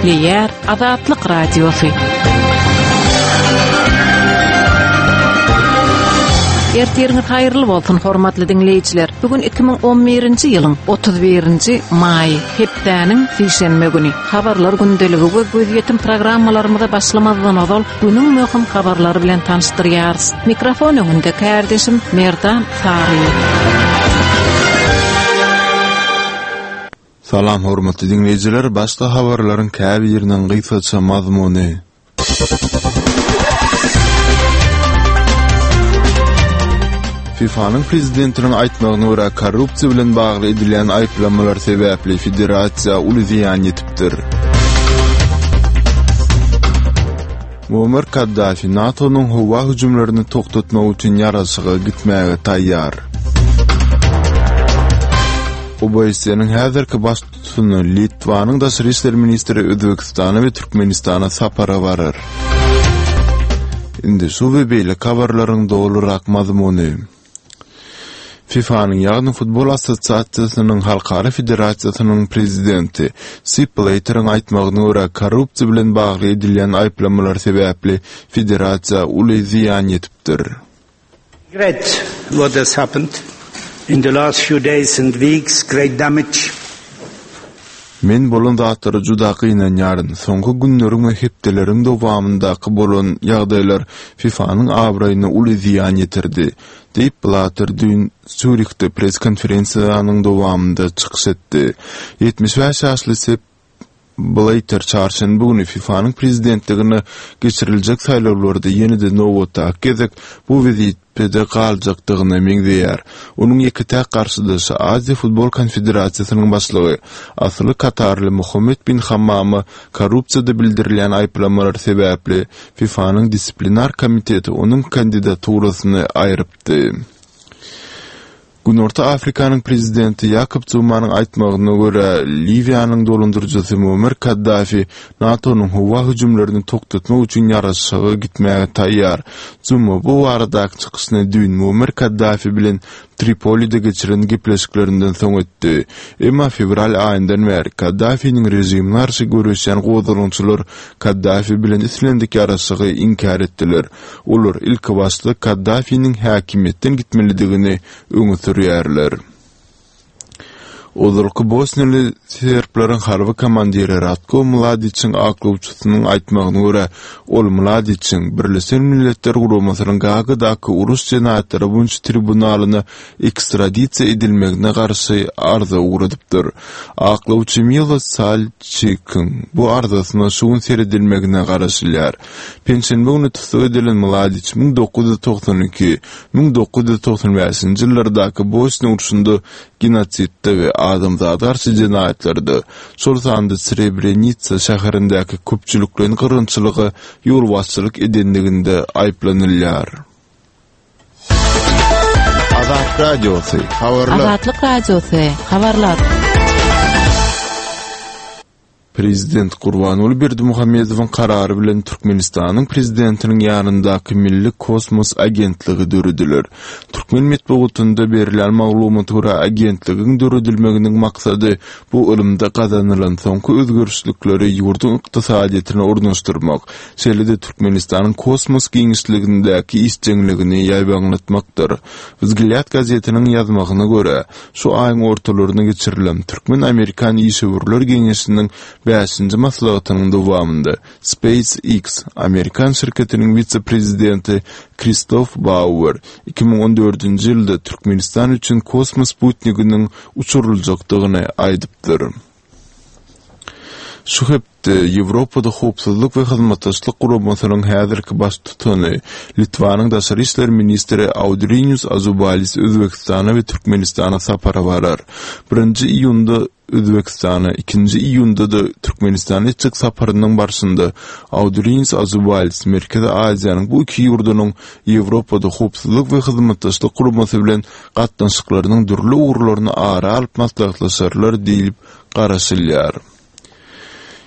Gepleýär Azatlyk Radiosy. Ertiriňiz haýyrly bolsun, hormatly diňleýjiler. Bu gün 2011-nji ýylyň 31-nji maýy, hepdäniň sişenbe güni. Habarlar gündeligi we gözýetim programmalarymyza başlamazdan ozal günüň möhüm habarlary bilen tanyşdyrýarys. Mikrofon öňünde kärdeşim Merdan Saryýew. Salam hormatly diňleýjiler, başda habarlaryň käbiriniň gysgaça mazmuny. FIFA-nyň prezidentiniň aýtmagyna görä, korrupsiýa bilen bagly edilýän aýyplamalar sebäpli federasiýa uly zyýan ýetipdir. Muammar Kaddafi NATO-nyň howa hüjümlerini togtatmak üçin ýaraşyga gitmäge taýýar. OBSE-niň häzirki baştutany Litwanyň daşary işler ministri Özbegistana we Türkmenistana sapara barar. Indi şu we beýleki habarlaryň dolurak mazmuny. FIFA-nyň, ýagny Futbol assosiasiýasynyň halkara federasiýasynyň prezidenti Sepp Blatteriň aýtmagyna görä, korrupsiýa bilen bagly edilýän aýyplamalar sebäpli federasiýa uly zyýan ýetipdir. Regret what has happened in the last few days and weeks, great damage. Men bolan zatlara juda gynanýaryn. Soňky günleriň we hepdeleriň dowamyndaky bolan ýagdaýlar FIFA-nyň abraýyna uly zyýan ýetirdi, diýip, Blatter düýn Sýurihde press-konferensiýanyň dowamynda çykyş etdi. 75 ýaşly Sepp Blatter çarşenbe güni FIFA-nyň prezidentligine geçiriljek saýlawlarda ýene-de nobatdaky gezek bu wezipede galjakdygyna meňzeýär. Onuň ýeke-täk garşydaşy Aziýa futbol konfederasiýasynyň başlygy, asyly katarly Mohammed bin Hammama korrupsiýada bildirilýän aýyplamalar sebäpli FIFA-nyň disiplinar komiteti onuň kandidaturasyny aýrypdy. Günorta Afrikanyň prezidenti Ýakob Zumanyň aýtmagyna görä, Liwiýanyň dolandyryjysy Muammar Kaddafi NATO-nyň howa hüjümlerini togtatmak üçin ýaraşyga gitmäge taýýar. Zuma bu baradaky çykyşyny düýn Muammar Kaddafi bilen Tripolide geçiren gepleşiklerinden soň etdi. Emma fewral aýyndan bäri Kaddafiniň režimine garşy göreşýän gozgalaňçylar Kaddafi bilen islendik ýaraşygy inkär etdiler. Olar ilkibaşda Kaddafiniň häkimiýetden gitmelidigini öňe sürýärler. Ozalky bosniýaly serbleriň harby komandiri Ratko Mladiçiň aklawçysynyň aýtmagyna görä, ol Mladiçiň Birleşen Milletler Guramasynyň Gaagadaky uruş jenaýatlary boýunça tribunalyna ekstradisiýa edilmegine garşy arza ugradypdyr. Aklawçy Milos Salçikiň bu arzasyna şu gün seredilmegine garaşylýar. Penşenbe güni tussag edilen Mladiç 1992, 1995-nji ýyllardaky Bosniýa urşunda genosidde we adamzada garşy jenaýatlarda, şol sanda Srebrenitsa şäherindäki köpçülikleýin gyrgynçylyga ýolbaşçylyk edenliginde aýyplanylýar. Azat Radiosy, habarlar. Azatlyk Radiosy, habarlar. Prezident Gurbanguly Berdimuhamedowyň karary bilen Türkmenistanyň Prezidentiniň ýanyndaky Milli kosmos agentligi dörediler. Türkmen metbugatynda berilýän maglumata görä, agentligiň döredilmeginiň maksady bu ylymda gazanylan soňky özgerişlikleri ýurduň ykdysadyýetine ornaşdyrmak, şeýle-de Türkmenistanyň kosmos giňişligindäki işjeňligini ýaýbaňlatmakdyr. Wzglýad gazetiniň ýazmagyna görä, Şu aýyň ortalarynda geçirilen Türkmen-amerikan işewürler geňeşiniň bäşinji maslahatynyň dowamynda SpaceX amerikan şirketiniň wise-prezidenti Kristof Bauer 2014-nji ýylda Türkmenistan üçin kosmos sputniginiň uçuryljakdygyny aýdypdyr. Şu hepde Ýewropada Howpsuzlyk we Hyzmatdaşlyk Guramasynyň häzirki baştutany, Litwanyň daşary işler ministri Audrinius Azubalis Özbegistana we Türkmenistana sapara barar. Birinji iýunda Özbegistana, ikinji iýunda-da Türkmenistana etjek saparynyň barşynda Audrinius Azubalis Merkezi Aziýanyň bu iki ýurdunyň Ýewropada Howpsuzlyk we Hyzmatdaşlyk Guramasy bilen gatnaşyklarynyň dürli ugurlaryny ara alyp maslahatlaşarlar diýlip garaşylýar.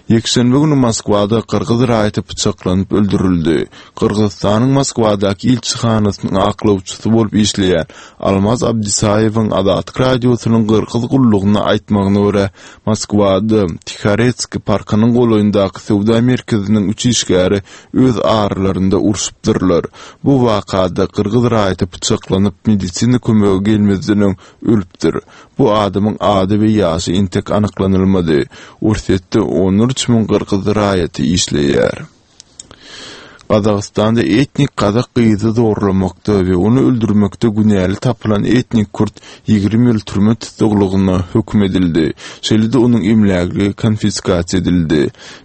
Ýekşenbe güni Moskwada gyrgyz raýaty pyçaklanyp öldürildi. Gyrgyzystanyň Moskwadaky ilçihanasynyň aklawçysy bolup işleýän Almaz Abdisaýewiň Azatlyk Radiosynyň Gyrgyz gullugyna aýtmagyna görä, Moskwada Tihoretskiý parkynyň golaýyndaky söwda merkeziniň üç işgäri öz aralarynda urşupdyrlar. Bu wakada gyrgyz raýaty pyçaklanyp, medisina kömegi gelmezden öň ölüpdir. Bu adamyň ady we ýaşy entek anyklanylmady. Orsýetde onlarça müň gyrgyz raýaty işleýär. Gazagystanda etnik gazak gyzy zorlamakda we ony öldürmekde günäli tapylan etnik kürt 20 ýyl türme tussaglygyna höküm edildi. Şeýle-de onuň emlägi konfiskasiýa edildi.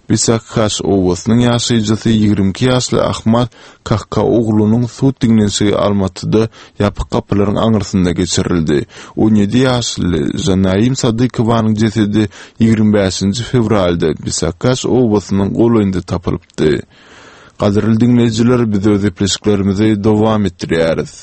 Bisakhaş obasynyň ýaşaýjysy 22 ýaşly Ahmad Kahkaoglunyň sud diňlenişigi Almatyda ýapyk gapylaryň aňyrsynda geçirildi. 17 ýaşly Žanaim Sadykowanyň jesedi 25-nji fewralda Bisakaş obasynyň golaýynda tapylypdy. Gadyrly diňleýjiler, biz öz gepleşiklerimizi dowam etdirýäris.